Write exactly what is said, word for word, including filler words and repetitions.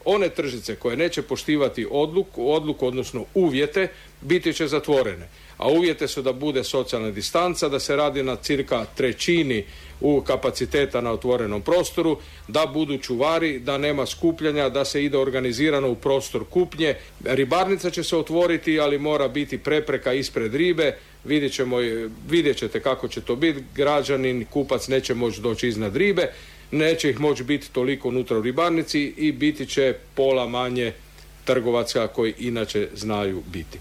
one tržnice koje neće poštivati odluku, odluku odnosno uvjete, biti će zatvorene. A uvjete su da bude socijalna distanca, da se radi na cirka trećini u kapaciteta na otvorenom prostoru, da budu čuvari, da nema skupljanja, da se ide organizirano u prostor kupnje. Ribarnica će se otvoriti, ali mora biti prepreka ispred ribe. Vidjet ćemo, vidjet ćete kako će to biti. Građanin, kupac neće moći doći iznad ribe, neće ih moći biti toliko unutra u ribarnici i biti će pola manje trgovaca koji inače znaju biti.